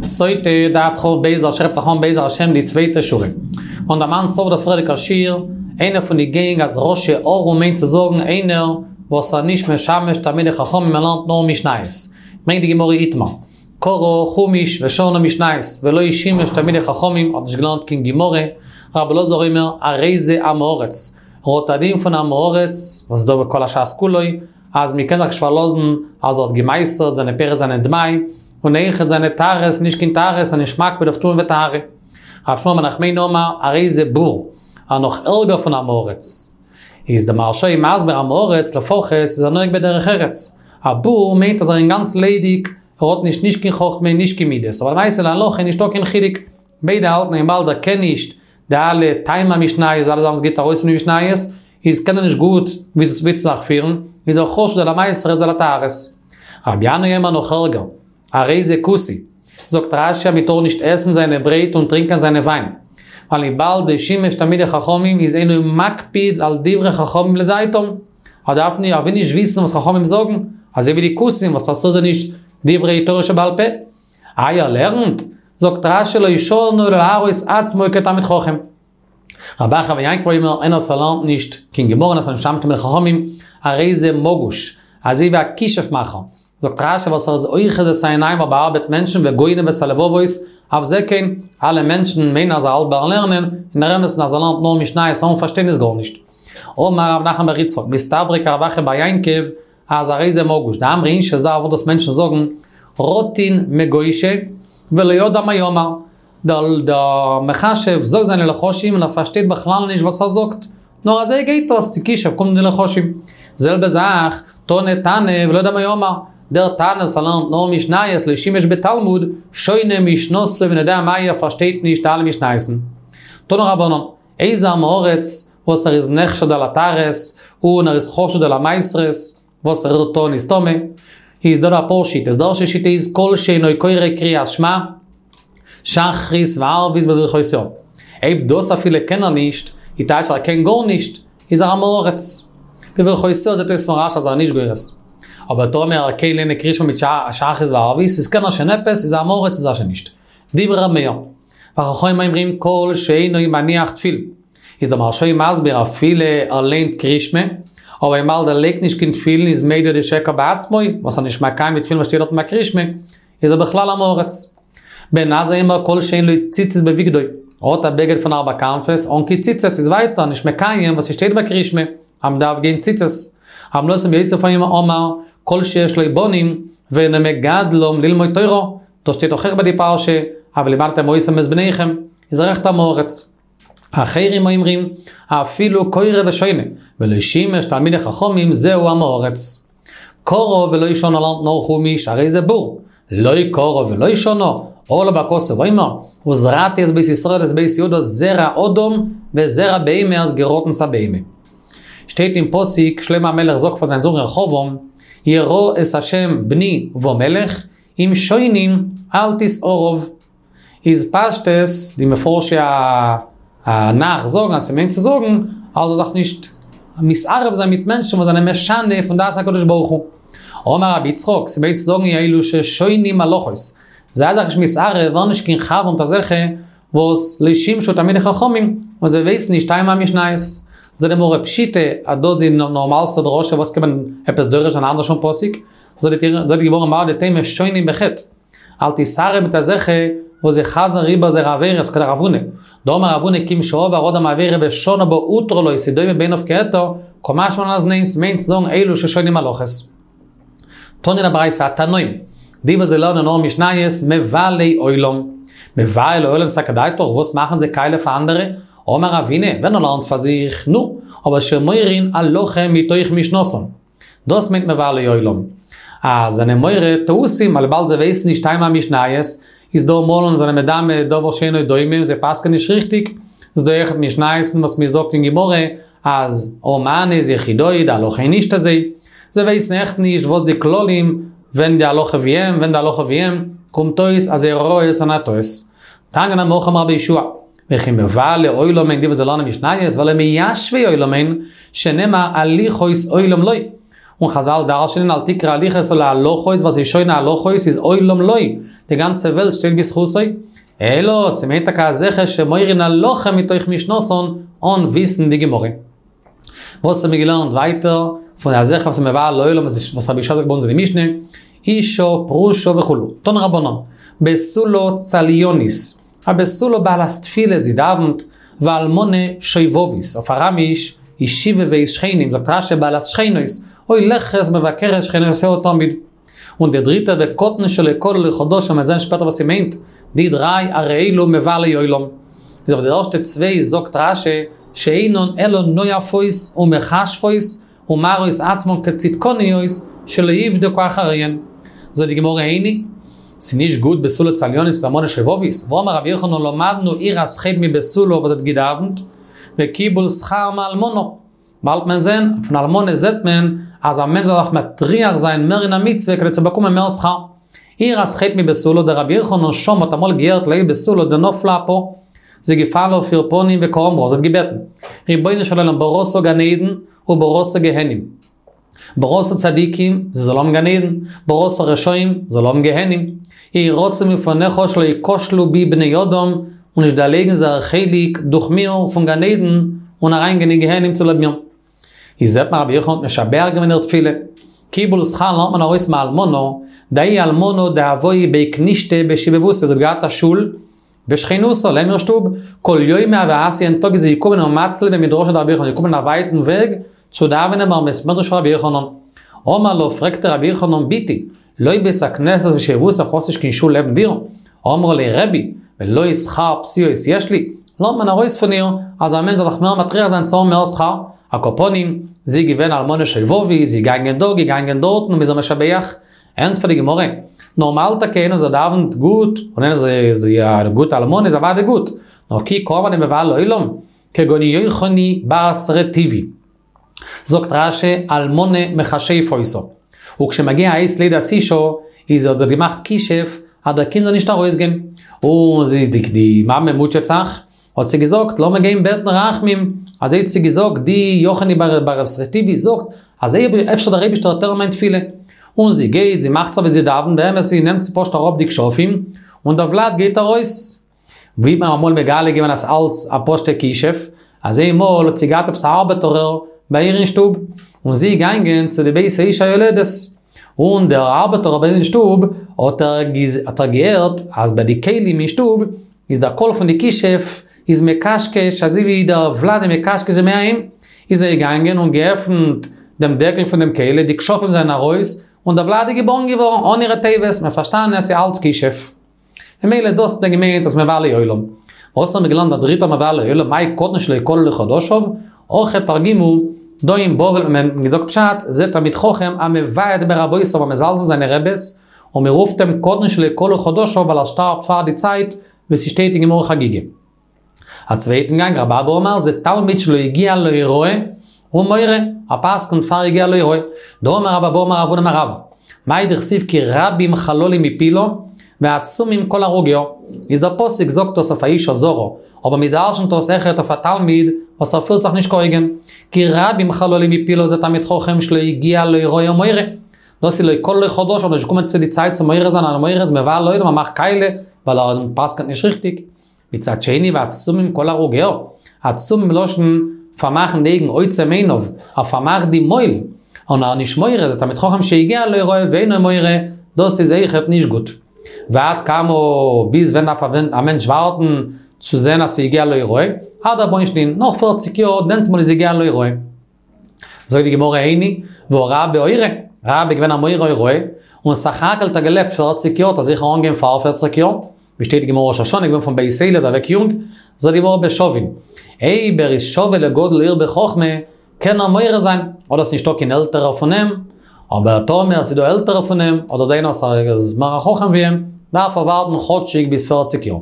סוטה דף כ"ב הייבט זיך אן בעזר השם די צווייטע שורה. און דערמאנט סוף דער פריערדיגער שיעור, איינער פון די גענג אז רשע ארור מיינט צו זאגן איינער וואס איז נישט משמש תלמידי חכמים ער לערנט נאר משניות. ברענגט די גמרא איתמר. קרא חומש ושנה משניות ולא שימש תלמידי חכמים האט נישט געלערנט קיין גמרא, רבי אלעזר אומר הרי זה עם הארץ, ער האט א דין פון עם הארץ וואס איז דא בכל הש"ס כולו, אז מען קען זיך נישט פארלאזן אז ער האט געמעשר'ט זיינע פירות זענען דמאי, און אויכעט זיינע טהרות נישט קיין טהרות און נישט מקפיד אויף טומאה וטהרה. רב שמואל בר נחמני אמר הרי זה בור, א נאך ערגער פון עם הארץ. איז די מהרש"א מסביר עם הארץ לפחות איז ער נוהג בדרך ארץ. א בור מיינט אז ער איז אינגאנצן ליידיג, ער האט נישט נישט קיין חכמה נישט קיין מידות, אבער למעשה להלכה איז נישטא קיין חילוק, ביידע האלטן וויבאלד ער קען נישט די אלע טעמי המשניות, אלע זאכן וואס גייט ארויס פון די משניות, איז קען ער נישט גוט ווי צו זיך פירן, איז ער חשוד על המעשרות ועל הטהרות. רבי ינאי אומר נאך ערגער, הרי זה כותי. זאגט רש"י אז מען טאר נישט עסן זיינע ברויט און טרינקען זיינע וויין. ווייל וויבאלד לא שימש תלמידי חכמים איז אינו מקפיד על דברי חכמים לדעתם. ער דארף נישט, ער וויל נישט וויסן וואס חכמים זאגן, אזוי ווי די כותים וואס אסור זיי נישט דברי תורה שבעל פה. איי ער לערנט? זאגט רש"י לא שנו אלא להראות עצמו כתלמיד חכם. רב אחא בר יעקב אומר, איינער וואס ער לערנט נישט קיין גמרא און איז נישט משמש תלמידי חכמים, הרי זה מגוש, אזוי ווי א כישוף מאכער. זאגט רש"י וואס ער איז אוחז את העיניים ער באארבעט מענטשן וגונב את הלבבות, אף זה כן, אלע מענטשן מיינען אז ער האלט ביים לערנען, אין דער אמת'ן אז ער לערנט נאר משניות אן פארשטיין איז גארנישט. אמר רב נחמן בר יצחק, מסתברא כרב אחא בר יעקב, אז הרי זה מגוש, דאמרי אינשי ס'איז דא א ווארט וואס מענטשן זאגן, רטין מגושא, ולא ידע מאי אמר. דער מכשף זאגט זיינע לחשים און ער פארשטייט בכלל נישט וואס ער זאגט, נאר אזוי גייט עס, די כישוף קומט אין די לחשים. זעלבע זאך, תני תנא ולא ידע מאי אמר, דער תנא וואס ער לערנט נאר משניות לא שימש בתלמוד, שונה משנתו ואינו יודע מאי ער פארשטייט נישט אלע משניות'ן. תנו רבנן, איזה עם הארץ וואס ער איז נחשד על הטהרות און ער איז חשוד על המעשרות, וואס ער רירט אן איז טמא, איז דא אפאר שיטות, די ערשטע שיטה איז כל שאינו קורא קריאת שמע, שחרית וערבית בברכותיה. אויב דאס אפילו קען ער נישט, איז טייטש ער קען גארנישט, איז ער עם הארץ. בברכותיה זעט אויס פון רש"י אז ער איז נישט גורס. אבער טאמער ער קען ליינען קריאת שמע מיט שחרית וערבית, איז קען ער שוין עפעס, איז עם הארץ איז ער שוין נישט. דברי ר' מאיר. וחכמים אומרים כל שאינו מניח תפילין. איז דער מהרש"א מסביר אפילו ער ליינט קריאת שמע, אבער וויבאלד ער לייגט נישט קיין תפילין איז מודה לשקר בעצמו, וואס ער נישט מקיים די תפילין וואס שטייט דארטן ביי קריאת שמע, איז ער בכלל עם הארץ. בן עזאי אומר כל שאין לו ציצית בבגדו, ער האט א בגד פון ארבע כנפות אן קיין ציצית איז ווייטער נישט מקיים וואס ס'שטייט ביי קריאת שמע אז מ'דארף גיין ציצית. רבי נתן בן יוסף אומר כל שיש לו בנים ואינו מגדלם ללמוד תורה, דאס שטייט דאך אויך ביי די פרשה, ולמדתם אותם את בניכם, איז ער אויכעט עם הארץ. אחרים אומרים, אפילו קורא ושונה, ולא שימש תלמידי חכמים זהו עם הארץ. קרא ולא שנה לערנט נאר חומש, הרי זה בור. לא קרא ולא שנה, עליו הכתוב אומר, וזרעתי את בית ישראל את בית יהודה זרע אדם וזרע בהמה איז געראטן צו א בהמה. שטייט אין פסוק, שלמה המלך זאגט פאר זיין זון רחבעם, ירא את ה' בני ומלך, עם שונים אל תתערב. איז פשטות, די מפרשי הנ"ך זאגן אז ס'מיינט צו זאגן אז זאל זיך נישט מתערב זיין מיט מענטשן וואס זענען משנה פון דעת הקדוש ברוך הוא. אמר רבי יצחק, ס'מיינט צו זאגן אלו ששונים הלכות. זיי זיך נישט מתערב, ווער נישט קיין חבר מיט אזעלכע וואס לא שימשו תלמידי חכמים, און זיי ווייסן נישט טעמי המשניות. זאגט די גמרא פשיטא אז דאס די נארמאלסטע דרשה וואס קען מען עפעס דורש זיין אנדערש פון פסוק. זאגט די גמרא מהו דתימא שונים בחטא. אל תתערב מיט אזעלכע וואס זיי חזר'ן איבער זייערע עבירות כדרב הונא. דאמר רב הונא כיון שעבר אדם עבירה ושנה בה הותרה לו ס'דומה בעיניו כהיתר, קא משמע לן אז ניין, ס'מיינט צו זאגן אלו ששונים הלכות. תניא אין א ברייתא התנאים, די וואס זיי לערנען נאר משניות מבלי עולם. מבלי עולם סלקא דעתך, וואס מאכן זיי קאליע פאר אנדערע? אמר רבינא, ווען ער לערנט פאר זיך, נו, אבער שמורין הלכה מתוך משנתן. דאס מיינט מבלי עולם. אז זענען מורה טעותים, ווייל וויבאלד זיי ווייסן נישט טעמי המשניות, איז דא מאלן זיי זענען מדמה דבר שאינו דומה און זיי פסק'ענען נישט ריכטיג. איז דא אויכעט משניות וואס מען זאגט אין גמרא אז הא מני איז יחידאי, די הלכה איז נישט אזוי. זיי ווייסן עכט נישט וואס די כללים, ווען די הלכה ווי אים, ווען די הלכה ווי אים, קומט אויס אז זייערע הוראות זענען א טעות. תניא נמי הכי אמר רבי יהושע. וכי מבלי עולם הן די וואס זיי לערנען משניות והלא מיישבי עולם הן, שנאמר הליכות עולם לו. און חזל דרש'נען אל תקרי הליכות אלא הלכות ווייל ס'איז שונה הלכות איז עולם לו. די גאנצע וועלט שטייט בזכותו. אלא, ס'מיינט טאקע אזעלכע שמורין הלכה מתוך משנתן, אן וויסן די גמרא. וואס האבן מיר געלערנט ווייטער פון אזעלכע וואס איז מבער לעולם וואס רבי יהושע זאגט ביי אונז אין די משנה, אישה פרושה וכו', תנו רבנן, בתולה צליינית, א בתולה בעלת תפילה זי דאווענט, ואלמנה שובבית, אויף אראמיש, ישיבה שכנים, זאגט רשי בעלת שכנות, הולכת ומבקרת שכנותיה תמיד. און די דריטע וקטן שלא כלו לו חדשיו מ'וועט זען שפעטער וואס ס'מיינט, די דריי הרי אלו מבלי עולם. איז אויף די ערשטע צוויי זאגט רשי שאינן אלא נואפות ומכשפות ומראות עצמן כצדקניות שלא יבדקו אחריהן. זאגט די גמרא איני, ס'נישט גוט בתולה צליינית מיט אלמנה שובבית, והאמר רבי יוחנן למדנו יראת חטא מבתולה וואס האט געדאווענט, וקיבול שכר מאלמנה. באלד מען זען, פון אלמנה זעט מען אז א מענטש זאל זיך מטריח זיין מער אין א מצוה כדי צו באקומען מער שכר. יראת חטא מבתולה דרבי יוחנן שמע האט אמאל געהערט להאי בתולה דנפלה אפה. זי איז געפאלן אויף איר פנים וקאמרה, זי האט געבעטן, רבונו של עולם בראת גן עדן ובראת גיהנום. בראת צדיקים, זיי זאלן האבן גן עדן, בראת רשעים, זאל האבן גיהנום. יהי רצון מלפניך שלא יכשלו בי בני אדם, און נישט דערלייגן זייער חלק דורך מיר פון גן עדן, און אריינגיין אין גיהנום צוליב מיר. איז זעט מען רבי יוחנן האט משבח געווען איר תפילה. קיבול שכר לערנט מען ארויס מאלמנה, דההיא אלמנה דהואי בי כנישתא בשיבבותיה, זי האט געהאט א שול, בשכינותא, לעבן איר שטוב, כל יומא הוה אתיא יעדן טאג איז זי געקומען ומצליא בי מדרשא דרבי יוחנן, געקומען א ווייטן וועג צו דאווענען ביים בית מדרש פון רבי יוחנן. אמר לה, פרעגט איר רבי יוחנן, בתי, לא בית הכנסת בשיבבותך, האסט נישט קיין שול לעבן דיר? אמרה ליה רבי, ולא שכר פסיעות יש לי? לערנט מען ארויס פון איר, אז א מענטש זאל זיך מער מטריח זיין צו האבן מער שכר. על כל פנים, זי איז געווען אלמנה שובבית, זי איז געגאנגען דא, געגאנגען דארטן, און מ'איז איר משבח. ענטפערט די גמרא, נארמאל טאקע איינער וואס דאווענט גוט, און איינער וואס איז א גוטע אלמנה איז אוודאי גוט, נאר כי קאמר דמבלי עולם, כגון יוחני בת רטיבי. זאגט רשי, אלמנה מכשפה היתה. וכשמגיע עת לידת אישה, איז האט זי געמאכט כישוף אז דער קינד זאל נישט ארויסגיין. און זי, די מאמע מוטשעט זיך, האט זי געזאגט, לאמיר גיין בעטן רחמים. אזוי האט זי געזאגט, די יוחני בת רטיבי זאגט, אז אפשר דער אייבישטער וועט הערן מיין תפילה. און זי גייט, זי מאכט זיך ווי זי דאווענט, באמת זי נעמט פשוט אראפ די כשפים, און דער ולד גייט ארויס. ווי האט מען אמאל מגלה געווען אז אלץ א פשוטע כישוף, אז איינמאל האט זי געהאט עפעס א ארבעטארער ביי איר אין שטוב, און זי איז געגאנגען צו די בית האישה היולדת, און דער ארבעטארער ביי איר אין שטוב האט ער געהערט אז ביי די כלים אין שטוב איז דער קול פון די כישוף איז מקשקש אזוי ווי דער ולד איז מקשקש די מעיים, איז ער געגאנגען און געעפנט דעם דעקל פון דעם כלי, די כשפים זענען ארויס, און דער ולד איז געבארן געווארן אן אירע טובות, מ'האט פארשטאנען אז ס'איז אלץ כישוף. ממילא דאס האט ער געמיינט אז מבלי עולם. וואס האבן מיר געלערנט דער דריטער מבלי עולם, מאי קטן שלא כלו לו חדשיו, הכא תרגימו, דא אין בבל האט מען געזאגט פשט, זה תלמיד חכם המבעט ברבותיו המזלזל אין זיינע רעבעס, און מען רופט אים קטן שלא כלו חדשיו ווייל ער שטארבט פאר די צייט, ווי ס'שטייט אין גמרא חגיגה. א צווייטן גאנג, רבי אבא אמר, זה תלמיד שלא הגיע להוראה, ומורה, ער פסק'נט פאר הגיע להוראה. דאמר רב אבהו אמר רב הונא אמר רב, מאי דכתיב כי רבים חללים הפילה, ועצומים כל הרוגיה. איז דער פסוק זאגט דאס אויף א אישה זרה, אבער מען דרש'נט דאס אויכעט אויף א תלמיד וואס ער פירט זיך נישט כהוגן. כי רבים חללים הפילה זה תלמיד חכם שלא הגיע להוראה ומורה. דאס איז לא כלו לו חדשיו, נישט געקומען צו די צייט צו מורה זיין ומורה איז מבלה עולם ער מאכט קאליע ווייל ער פסק'נט נישט ריכטיג. מצד שני ועצומים כל הרוגיה, עצומים מלשון פארמאכן די אויגן עוצם עיניו, ער פארמאכט די מויל, און ער איז נישט מורה, זה תלמיד חכם שהגיע להוראה ואינו מורה, דאס איז אויכעט נישט גוט. ועד כמה, ביז ווען דארף א מענטש ווארטן צו זען אז ס'הגיע להוראה? עד ארבעין שנין, נאך פערציג יאר, דענסמאל איז הגיע להוראה. זאגט די גמרא איני, והא רבה אורי, רבה איז געווען א מורה הוראה, און סך הכל האט ער געלעבט פערציג יאר, האט ער זיכער אנגעהויבן פאר פערציג יאר, ווי שטייט אין גמרא ראש השנה, געווען פון בית עלי איז אוועק יונג, זאגט די גמרא בשווין, אויב ער איז שווה לגודל העיר בחכמה, קען ער מורה זיין, אדער ס'נישטא קיין עלטערער פון אים, אבער טאמער ס'איז דא עלטערע פון אים, אדער דא איינער וואס איז מער א חכם ווי אים, דארף ער ווארטן כאטשיג ביז פערציג יאר.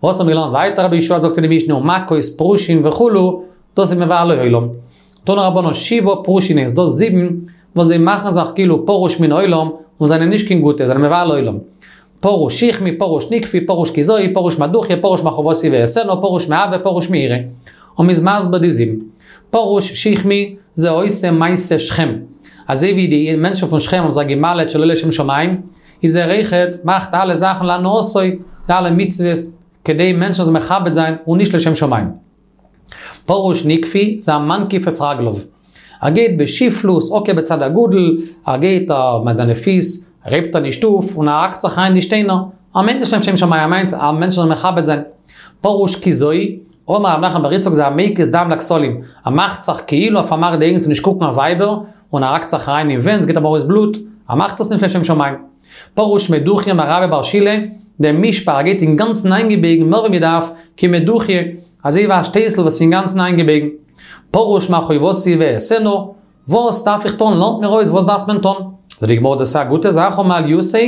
וואס האבן מיר געלערנט ווייטער רבי יהושע זאגט אין די משנה ומכות פרושים וכו', דאס איז מבלי עולם. תנו רבנן שבעה פרושין הן, ס'דא זיבן וואס זיי מאכן זיך כאילו פרוש מן העולם און זענען נישט קיין גוטע, זענען מבלי עולם. פרוש שכמי, פרוש נקפי, פרוש קיזאי, פרוש מדוכיא, פרוש מכאובתי ואעשנה, פרוש מאהבה, פרוש מיראה. און מ'איז מסביר די זיבן. פרוש שכמי זה עושה מעשה שכם. אזוי ווי די מענטשן פון שכם האבן זיך גע'מל'עט שלא לשם שמים, איז ער אויכעט מאכט אלע זאכן להנאתו, די אלע מצוות, כדי מענטשן זאלן מכבד זיין און נישט לשם שמים. פרוש נקפי זה המנקיף את רגליו. ער גייט בשפלות, עקב בצד אגודל, ער גייט מיט זיינע פיס, הייבט ער נישט אויף און ער האקט זיך אריין אין די שטיינער, ער מיינט נישט לשם שמים, ער מיינט אז מענטשן זאלן מכבד זיין. פרוש כיזוי, אמר רב נחמן בר יצחק זה המקיז דם לכתלים, ער מאכט זיך כאילו ער פארמאכט די אויגן צו נישט קוקן אויף ווייבער, און ער האקט זיך אריין אין ווענט, ס'גייט אים ארויס בלוט, ער מאכט עס נישט לשם שמים. פרוש מדוכיא אמר רבה בר שילא, דמישפע ער גייט אינגאנצן איינגעבויגן מער ווי מ'דארף, כמדוכיא, אזוי ווי א שטייסל וואס איז אינגאנצן איינגעבויגן. פרוש מה חובתי ואעשנה, וואס דארף איך טון? לערנט מיר אויס וואס דארף מען טון. זאגט די גמרא דאס איז א גוטע זאך הא מעליותא,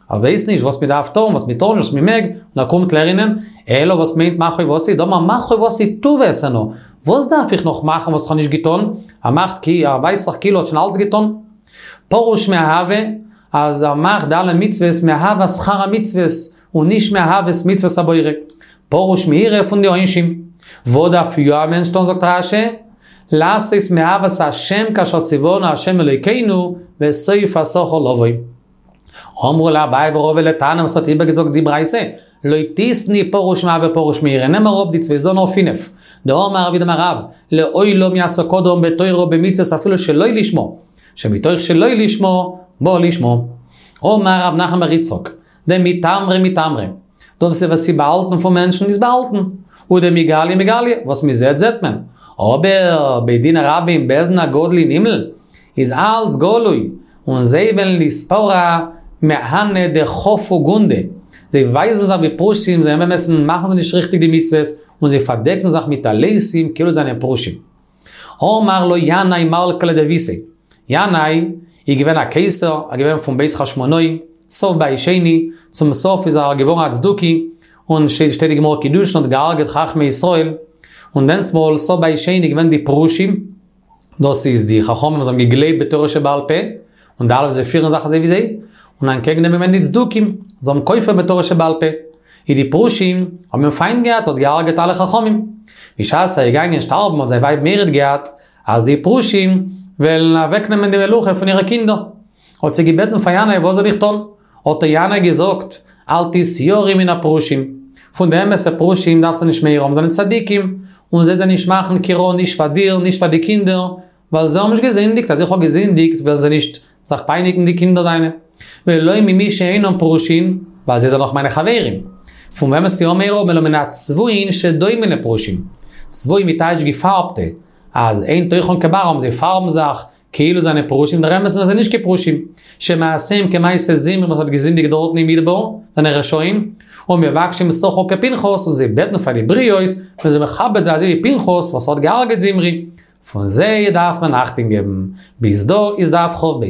ער ווייסט נישט וואס מען דארף טון, וואס מען טאר נישט, וואס מען מעג, און ער קומט לערנען, אלא וואס מיינט מה חובתי, דאמר מה חובתי טוב אעשנה, וואס דארף איך נאך מאכן וואס איך האב נישט געטון, ער מאכט כאילו, ער ווייזט זיך כאילו ער האט שוין אלץ געטון. פרוש מאהבה, אז ער מאכט די אלע מצוות מאהבת שכר המצוות, און נישט מאהבת מצוות הבורא. פרוש מיראה פון די עונשים. וואס דארף יא א מענטש טון זאגט רש"י, לעשות מאהבת השם כאשר ציוונו השם אלוקינו וסוף השכר לבוא. אמרו ליה אביי ורבא לתנא וואס האט איבערגעזאגט די ברייתא, לא תיתני פרוש מאהבה פרוש מיראה, נעם אראפ די צוויי ס'דא נאר פינף. דאמר רב יהודה אמר רב, לעולם יעסוק אדם בתורה ובמצוות אפילו שלא לשמה, שמתוך שלא לשמה, בא לשמה. אמר רב נחמן בר יצחק, דמיטמרא מיטמרא. דאס וואס איז באהאלטן פון מענטשן איז באהאלטן. ודמיגליא מיגליא, וואס מען זעט זעט מען. אבער בית דין הרבים בית דין הגדול אין הימל איז אלץ גלוי, און זיי וועלן ליתפרע מהני דחפו גונדי. זיי ווייזן זיך ווי פרושים, זיי אמת'ן מאכן זיי נישט ריכטיג די מצוות, און זיי פארדעקן זיך מיט טליתים כאילו זיי זענען פרושים. אמר לו ינאי מלכא לדביתיה, ינאי איז געווען א קיסר, ער איז געווען פון בית חשמונאי, סוף בית שני, צום סוף איז ער געווארן א צדוקי, און שטייט אין גמרא קידושין האט געהארגעט חכמי ישראל, און דענסמאל סוף בית שני איז געווען די פרושים, דאס איז די חכמים וואס האבן געגלייבט בתורה שבעל פה, און די אלע וואס זיי פירן זיך אזוי ווי זיי, און אנטקעגן דעם איז געווען די צדוקים, זיי האבן כופר בתורה שבעל פה. איז די פרושים האבן אים פיינט געהאט, האט געהארגעט אלע חכמים. בשעת ער איז געגאנגען שטארבן האט זיין ווייב מורא'ט געהאט אז די פרושים וועלן אוועקנעמען די מלוכה פון אירע קינדער. האט זי געבעטן פאר ינאי וואס זאל איך טון? האט איר ינאי געזאגט, אל תתייראי מן הפרושים. פון די אמת'ע פרושים דארפסטו נישט מורא האבן, זיי זענען צדיקים, און זיי וועלן נישט מאכן קיין רע נישט פאר דיר נישט פאר די קינדער, ווייל זיי האבן נישט געזינדיגט, אז איך האב געזינדיגט וועלן זיי נישט זיך פייניגן די קינדער דיינע. ולא ממי שאינם פרושין, ווייל זיי זענען דאך מיינע חברים. פון וועם וועסטו יא מורא האבן אלא מן הצבועין שדומין לפרושים. צבועים איז טייטש געפארבטע, אז אין תוכן כברם זיי פארבן זיך כאילו זענען פרושים, דער אמת איז אז זיי זענען נישט קיין פרושים. שמעשיהם כמעשה זמרי וואס האט געזינדיגט דארטן אין מדבר, זענען רשעים, ומבקשים שכר כפנחס, און זיי בעטן פאר די בריות, מען זאל מכבד זיין אזוי ווי פנחס וואס האט געהארגעט זמרי. פון זיי דארף מען אכטונג געבן. ביז דא איז דף כ"ב.